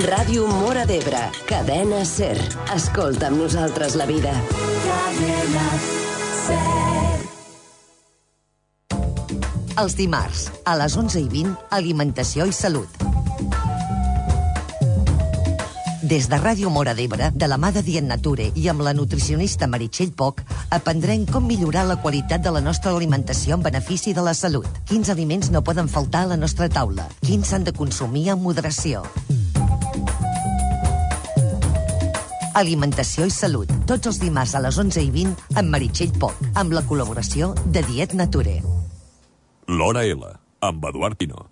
Ràdio Móra d'Ebre, cadena SER. Escolta amb nosaltres la vida. Cadena SER. Els dimarts, a les 11:20, Alimentació i Salut. Des de Ràdio Móra d'Ebre, de la mà de Dient Nature i amb la nutricionista Meritxell Poch, aprendrem com millorar la qualitat de la nostra alimentació en benefici de la salut. Quins aliments no poden faltar a la nostra taula? Quins s'han de consumir amb moderació? Alimentació i Salut, tots els dimarts a les 11:20 amb Meritxell Poch, amb la col·laboració de Dient Nature. L'Hora L, amb Eduard Pino.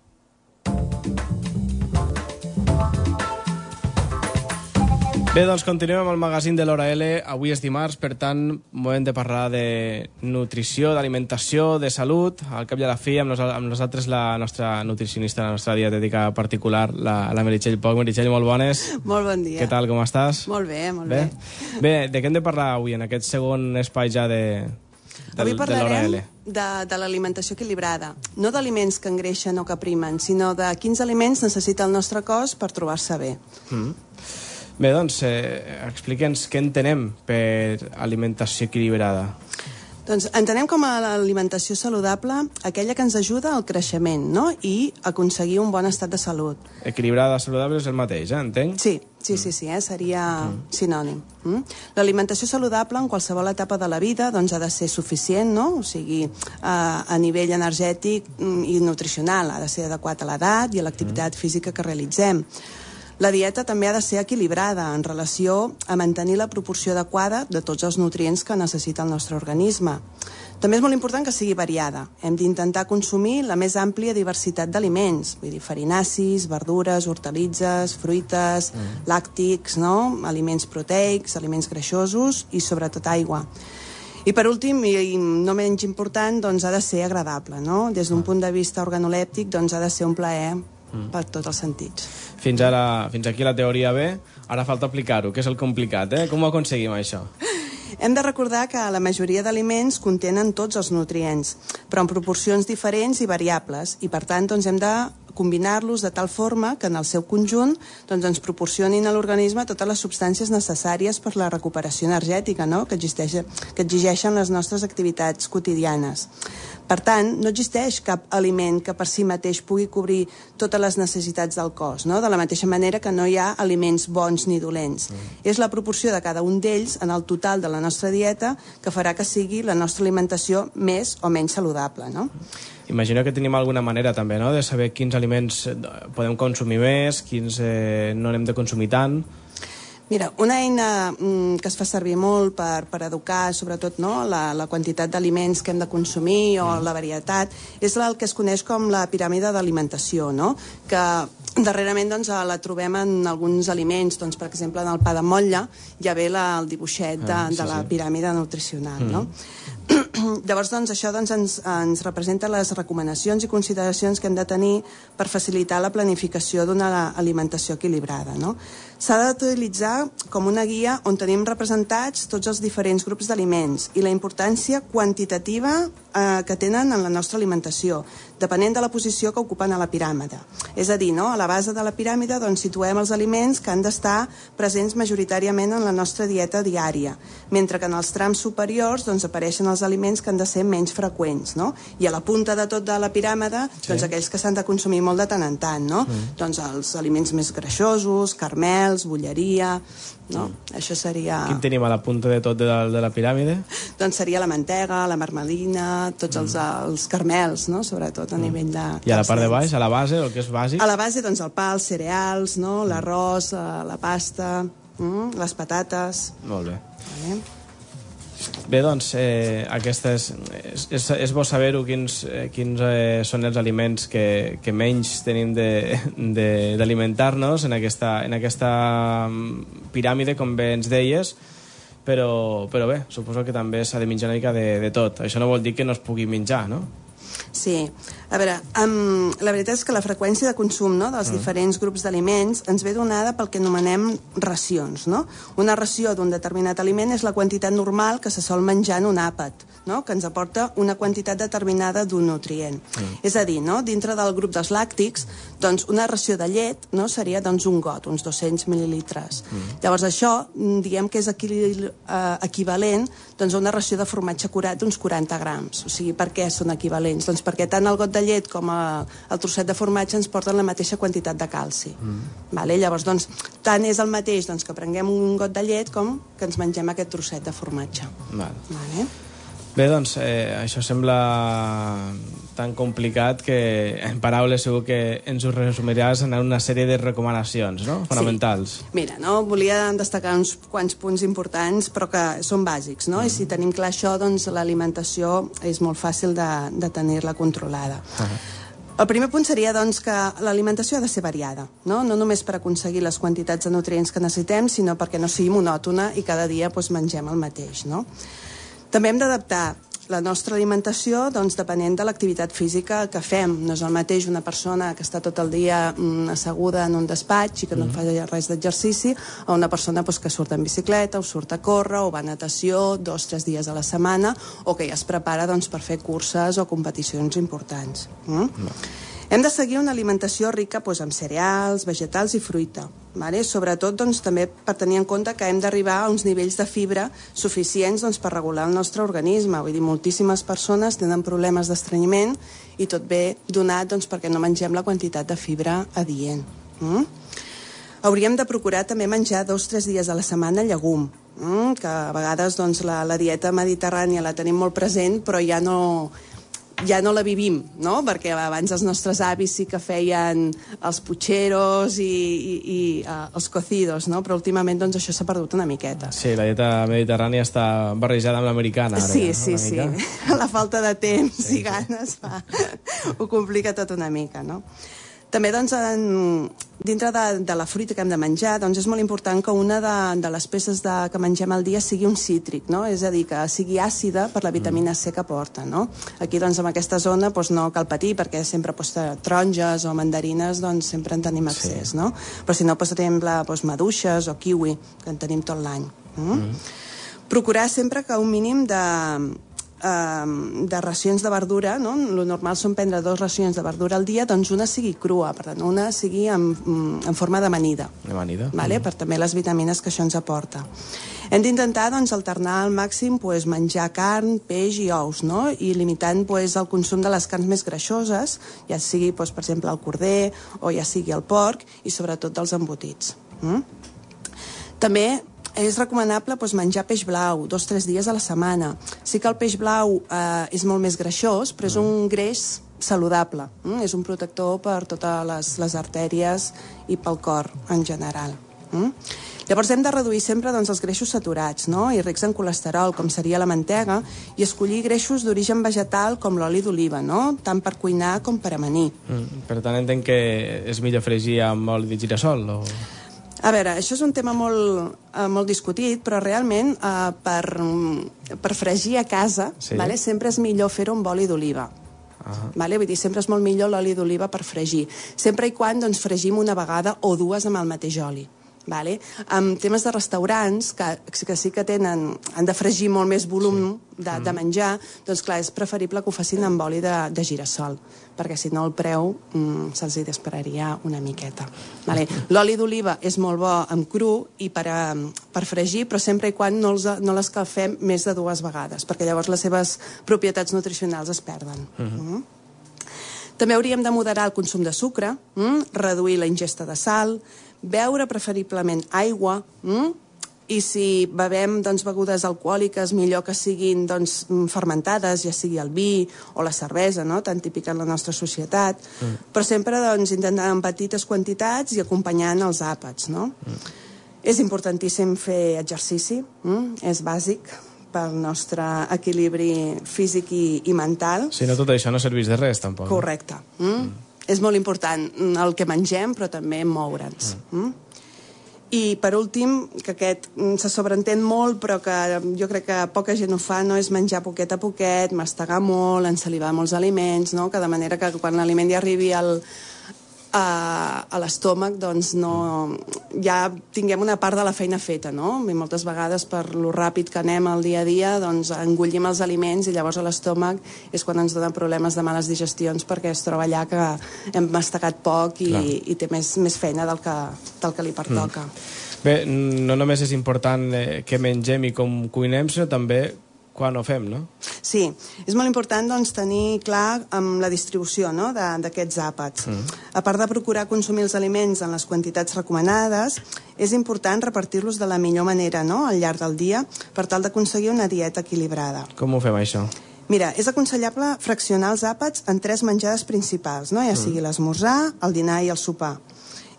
Bé, doncs continuem amb el magazín de l'Hora L. Avui és dimarts, per tant, moment de parlar de nutrició, d'alimentació, de salut. Al cap i a la fi, amb nosaltres la nostra nutricionista, la nostra dietètica particular, la Meritxell Poch. Meritxell, molt bones. Molt bon dia. Què tal, com estàs? Molt bé, molt bé. Bé, de què hem de parlar avui, en aquest segon espai ja de Avui parlarem de de l'alimentació equilibrada. No d'aliments que engreixen o que primen, sinó de quins aliments necessita el nostre cos per trobar-se bé. Bé, doncs, explica'ns què entenem per alimentació equilibrada. Doncs entenem com a l'alimentació saludable aquella que ens ajuda al creixement, no? I aconseguir un bon estat de salut. Equilibrada, saludable és el mateix, entenc? Sí, seria sinònim. L'alimentació saludable en qualsevol etapa de la vida doncs, ha de ser suficient, no? O sigui, a nivell energètic i nutricional, ha de ser adequat a l'edat i a l'activitat física que realitzem. La dieta també ha de ser equilibrada en relació a mantenir la proporció adequada de tots els nutrients que necessita el nostre organisme. També és molt important que sigui variada. Hem d'intentar consumir la més àmplia diversitat d'aliments, vull dir, farinacis, verdures, hortalitzes, fruites, làctics, no? Aliments proteics, aliments greixosos i sobretot aigua. I per últim, i no menys important, doncs ha de ser agradable, no? Des d'un punt de vista organolèptic, doncs ha de ser un plaer per tots els sentits. Fins aquí la teoria bé, ara falta aplicar-ho, que és el complicat, Com ho aconseguim, això? Hem de recordar que la majoria d'aliments contenen tots els nutrients, però en proporcions diferents i variables, i per tant doncs, hem de combinar-los de tal forma que en el seu conjunt doncs, ens proporcionin a l'organisme totes les substàncies necessàries per la recuperació energètica, no? que exigeixen les nostres activitats quotidianes. Per tant, no existeix cap aliment que per si mateix pugui cobrir totes les necessitats del cos, no? De la mateixa manera que no hi ha aliments bons ni dolents. És la proporció de cada un d'ells en el total de la nostra dieta que farà que sigui la nostra alimentació més o menys saludable, no? Imagino que tenim alguna manera també, no?, de saber quins aliments podem consumir més, quins no n'hem de consumir tant. Mira, una eina que es fa servir molt per educar, sobretot, no, la quantitat d'aliments que hem de consumir o la varietat, és el que es coneix com la piràmide d'alimentació, no? Que darrerament doncs, la trobem en alguns aliments, doncs, per exemple, en el pa de motlla ja ve el dibuixet de la piràmide nutricional, no? Llavors, doncs, això ens representa les recomanacions i consideracions que hem de tenir per facilitar la planificació d'una alimentació equilibrada, no? S'ha d'utilitzar com una guia on tenim representats tots els diferents grups d'aliments i la importància quantitativa que tenen en la nostra alimentació, depenent de la posició que ocupen a la piràmide. És a dir, no? A la base de la piràmide doncs, situem els aliments que han d'estar presents majoritàriament en la nostra dieta diària, mentre que en els trams superiors doncs, apareixen els aliments que han de ser menys freqüents, no? I a la punta de tot de la piràmide, doncs, aquells que s'han de consumir molt de tant en tant, no? Doncs els aliments més greixosos, caramels, bolleria, no? Això seria... Quin tenim a la punta de tot de la piràmide? Doncs seria la mantega, la marmelina, tots els caramels, no? Sobretot a nivell de... I a la part de baix, a la base, el que és bàsic? A la base, doncs, el pa, els cereals, no? L'arròs, la pasta, les patates... Molt bé. Bé, doncs, és bo saber-ho quins són els aliments que menys tenim d'alimentar-nos en aquesta piràmide, com bé ens deies, però bé, suposo que també s'ha de menjar una mica de tot. Això no vol dir que no es pugui menjar, no? Sí. A veure, la veritat és que la freqüència de consum, no, dels diferents grups d'aliments ens ve donada pel que anomenem racions, no? Una ració d'un determinat aliment és la quantitat normal que se sol menjar en un àpat no? Que ens aporta una quantitat determinada d'un nutrient. És a dir, no? Dintre del grup dels làctics, doncs una ració de llet, no? Seria doncs, un got, uns 200 mil·lilitres. Llavors això diem que és equivalent doncs, a una ració de formatge curat d'uns 40 grams. O sigui, per què són equivalents? Doncs perquè tant el got de llet com el trosset de formatge ens porten la mateixa quantitat de calci. Vale? Llavors, doncs, tant és el mateix doncs, que prenguem un got de llet com que ens mengem aquest trosset de formatge. Vale? Bé, doncs, això sembla tan complicat que en paraules segur que ens ho resumiràs en una sèrie de recomanacions, no? Fonamentals. Sí. Mira, no? Volia destacar uns quants punts importants, però que són bàsics, no? I si tenim clar això, doncs l'alimentació és molt fàcil de tenir-la controlada. El primer punt seria doncs, que l'alimentació ha de ser variada, no només per aconseguir les quantitats de nutrients que necessitem, sinó perquè no sigui monòtona i cada dia doncs, mengem el mateix. No? També hem d'adaptar la nostra alimentació doncs, depenent de l'activitat física que fem. No és el mateix una persona que està tot el dia asseguda en un despatx i que no fa res d'exercici a una persona doncs, que surt en bicicleta o surt a córrer o va a natació 2 o 3 dies a la setmana o que ja es prepara doncs, per fer curses o competicions importants. Hem de seguir una alimentació rica doncs, amb cereals, vegetals i fruita. Vale? Sobretot doncs, també per tenir en compte que hem d'arribar a uns nivells de fibra suficients doncs, per regular el nostre organisme. Vull dir, moltíssimes persones tenen problemes d'estrenyiment i tot ve donat doncs, perquè no mengem la quantitat de fibra adient. Hauríem de procurar també menjar 2 o 3 dies a la setmana llegum, que a vegades doncs, la dieta mediterrània la tenim molt present, però ja no la vivim, no? Perquè abans els nostres avis sí que feien els pucheros i els cocidos, no? Però últimament doncs, això s'ha perdut una miqueta. Sí, la dieta mediterrània està barrejada amb l'americana. Sí. La falta de temps i ganes ho complica tot una mica, no? També, doncs, dintre de la fruita que hem de menjar, doncs és molt important que una de les peces que mengem al dia sigui un cítric, no? És a dir, que sigui àcida per la vitamina C que porta, no? Aquí, doncs, en aquesta zona doncs, no cal patir, perquè sempre doncs, taronges o mandarines doncs, sempre en tenim accés, no? Però si no, doncs, per exemple, doncs, maduixes o kiwi, que en tenim tot l'any. Procurar sempre que un mínim de racions de verdura, no? Lo normal són prendre 2 racions de verdura al dia, doncs una sigui crua, per tant, una sigui en forma d'amanida. Vale? Per també les vitamines que això ens aporta. Hem d'intentar doncs, alternar al màxim doncs, menjar carn, peix i ous, no? I limitant doncs, el consum de les carns més greixoses, ja sigui, doncs, per exemple, el corder o ja sigui el porc i sobretot dels embotits. També és recomanable doncs, menjar peix blau 2 o 3 dies a la setmana. Sí que el peix blau és molt més greixós, però és un greix saludable. És un protector per totes les artèries i pel cor en general. Llavors hem de reduir sempre doncs, els greixos saturats, no? I rics en colesterol, com seria la mantega, i escollir greixos d'origen vegetal com l'oli d'oliva, no? Tant per cuinar com per amanir. Per tant, entenc que és millor fregir amb oli de girassol? O... A veure, això és un tema molt discutit, però realment per fregir a casa vale, sempre és millor fer-ho amb oli d'oliva. Vale? Vull dir, sempre és molt millor l'oli d'oliva per fregir. Sempre i quan doncs, fregim una vegada o 2 amb el mateix oli. Vale? En temes de restaurants que sí que han de fregir molt més volum de menjar, doncs clar, és preferible que ho facin amb oli de girassol, perquè si no el preu se'ls dispararia una miqueta. Vale? L'oli d'oliva és molt bo en cru i per fregir, però sempre i quan no l'escalfem més de 2 vegades, perquè llavors les seves propietats nutricionals es perden. També hauríem de moderar el consum de sucre, reduir la ingesta de sal, beure preferiblement aigua, i si bevem doncs, begudes alcohòliques, millor que siguin doncs, fermentades, ja sigui el vi o la cervesa, no? Tan típica en la nostra societat, però sempre doncs, intentant en petites quantitats i acompanyant els àpats. No? És importantíssim fer exercici, és bàsic pel nostre equilibri físic i mental. Si no, tot això no serveix de res, tampoc. Correcte. És molt important el que mengem, però també moure'ns. I, per últim, que aquest se sobreentén molt, però que jo crec que poca gent ho fa, no? És menjar poquet a poquet, mastegar molt, ensalivar molts aliments, no? Que de manera que quan l'aliment ja arribi a l'estómac doncs ja tinguem una part de la feina feta, no? I moltes vegades per lo ràpid que anem al dia a dia doncs engullim els aliments i llavors a l'estómac és quan ens donen problemes de males digestions perquè es troba allà que hem mastegat poc i té més feina del que li pertoca. Bé, no només és important què mengem i com cuinem, sinó també quan ho fem, no? Sí, és molt important doncs, tenir clar la distribució d'aquests àpats. A part de procurar consumir els aliments en les quantitats recomanades, és important repartir-los de la millor manera al llarg del dia per tal d'aconseguir una dieta equilibrada. Com ho fem, això? Mira, és aconsellable fraccionar els àpats en 3 menjades principals, ja sigui l'esmorzar, el dinar i el sopar.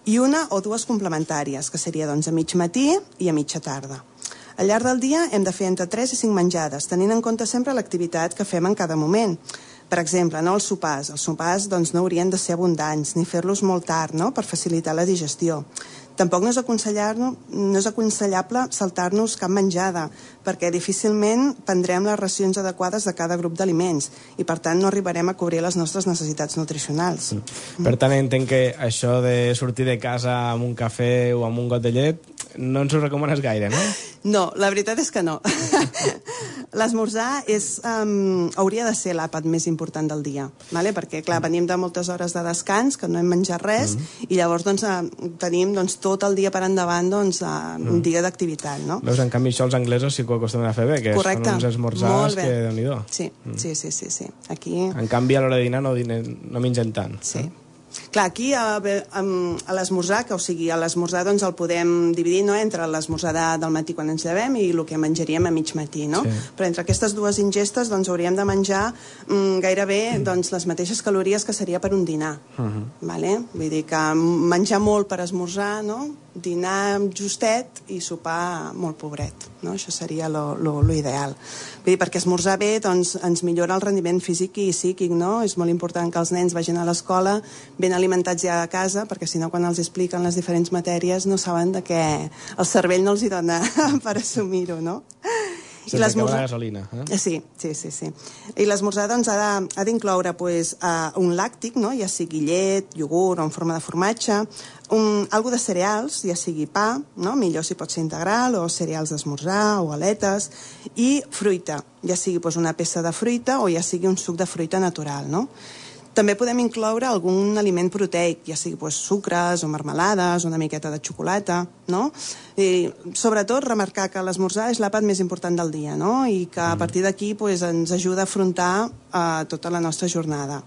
I una o 2 complementàries, que seria doncs, a mig matí i a mitja tarda. Al llarg del dia hem de fer entre 3 i 5 menjades, tenint en compte sempre l'activitat que fem en cada moment. Per exemple, els sopars. Els sopars doncs, no haurien de ser abundants, ni fer-los molt tard, per facilitar la digestió. Tampoc no és aconsellable saltar-nos cap menjada, perquè difícilment prendrem les racions adequades de cada grup d'aliments i, per tant, no arribarem a cobrir les nostres necessitats nutricionals. Per tant, entenc que això de sortir de casa amb un cafè o amb un got de llet no ens ho recomanes gaire, no? No, la veritat és que no. L'esmorzar hauria de ser l'àpat més important del dia, perquè, clar, venim de moltes hores de descans, que no hem menjat res, i llavors tenim tot el dia per endavant un dia d'activitat, no? Veus, en canvi, això els anglesos sí que ho acostumen a fer bé, que correcte. Són uns esmorzars que Déu-n'hi-do. Sí. Aquí... En canvi, a l'hora de dinar no mengen tant. Sí. Clar, aquí a l'esmorzar, a l'esmorzar doncs el podem dividir entre l'esmorzar del matí quan ens llevem i el que menjaríem a mig matí, no? Sí. Però entre aquestes 2 ingestes doncs hauríem de menjar gairebé les mateixes calories que seria per un dinar. Vale? Vull dir que menjar molt per esmorzar, no? Dinar justet i sopar molt pobret, no? Això seria lo ideal. Vull dir, perquè esmorzar bé doncs, ens millora el rendiment físic i psíquic, no? És molt important que els nens vagin a l'escola ben alimentats ja a casa, perquè si no quan els expliquen les diferents matèries no saben de què el cervell no els hi dona per assumir-ho, no? Sense acabar la gasolina. Sí. I l'esmorzar doncs, ha d'incloure un làctic, no? Ja sigui llet, iogurt o en forma de formatge, algo de cereals, ja sigui pa, no? Millor si pot ser integral, o cereals d'esmorzar, o aletes, i fruita, ja sigui una peça de fruita o ja sigui un suc de fruita natural, no? També podem incloure algun aliment proteic, ja sigui sucres o marmelades, una miqueta de xocolata, no? I sobretot remarcar que l'esmorzar és l'àpat més important del dia, no? I que a partir d'aquí ens ajuda a afrontar tota la nostra jornada.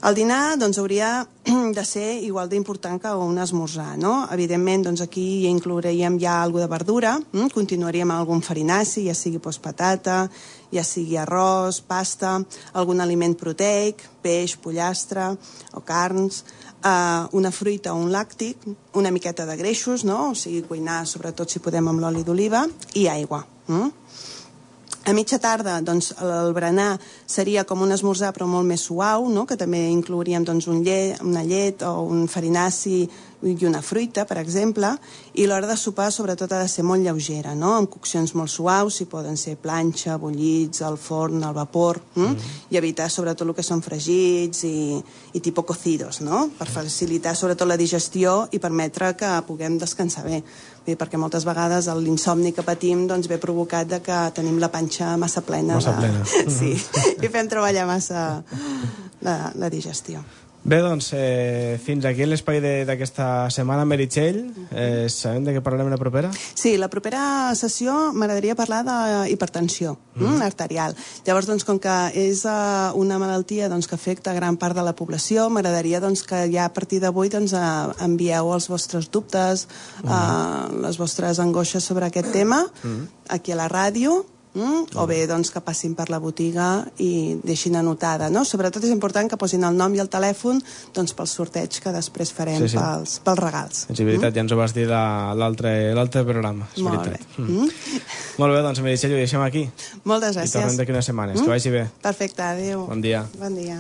El dinar hauria de ser igual d'important que un esmorzar, no? Evidentment, aquí ja inclouríem alguna de verdura, continuaríem amb algun farinaci, ja sigui patata, ja sigui arròs, pasta, algun aliment proteic, peix, pollastre o carns, una fruita o un làctic, una miqueta de greixos, no? O sigui, cuinar sobretot si podem amb l'oli d'oliva, i aigua. A mitja tarda, el berenar seria com un esmorzar però molt més suau, no? Que també inclouríem una llet o un farinaci i una fruita, per exemple, i l'hora de sopar sobretot ha de ser molt lleugera, no? Amb coccions molt suaus, si poden ser planxa, bullits, al forn, al vapor, i evitar sobretot el que són fregits i tipus cocidos, no? Per facilitar sobretot la digestió i permetre que puguem descansar bé. Perquè moltes vegades l'insomni que patim ve provocat que tenim la panxa massa plena. Sí, i fem treballar massa la digestió. Bé, fins aquí l'espai d'aquesta setmana, Meritxell. Sabem de què parlarem la propera? Sí, la propera sessió m'agradaria parlar d'hipertensió arterial. Llavors, com que és una malaltia que afecta gran part de la població, m'agradaria que ja a partir d'avui envieu els vostres dubtes, les vostres angoixes sobre aquest tema, aquí a la ràdio, o bé que passin per la botiga i deixin anotada, no? Sobretot és important que posin el nom i el telèfon pel sorteig que després farem pels regals. És veritat, ja ens ho vas dir l'altre programa. Molt bé. Molt bé, Meritxell, ho deixem aquí. Moltes gràcies. I tornem d'aquí unes setmanes. Que vagi bé. Perfecte, adéu. Bon dia. Bon dia.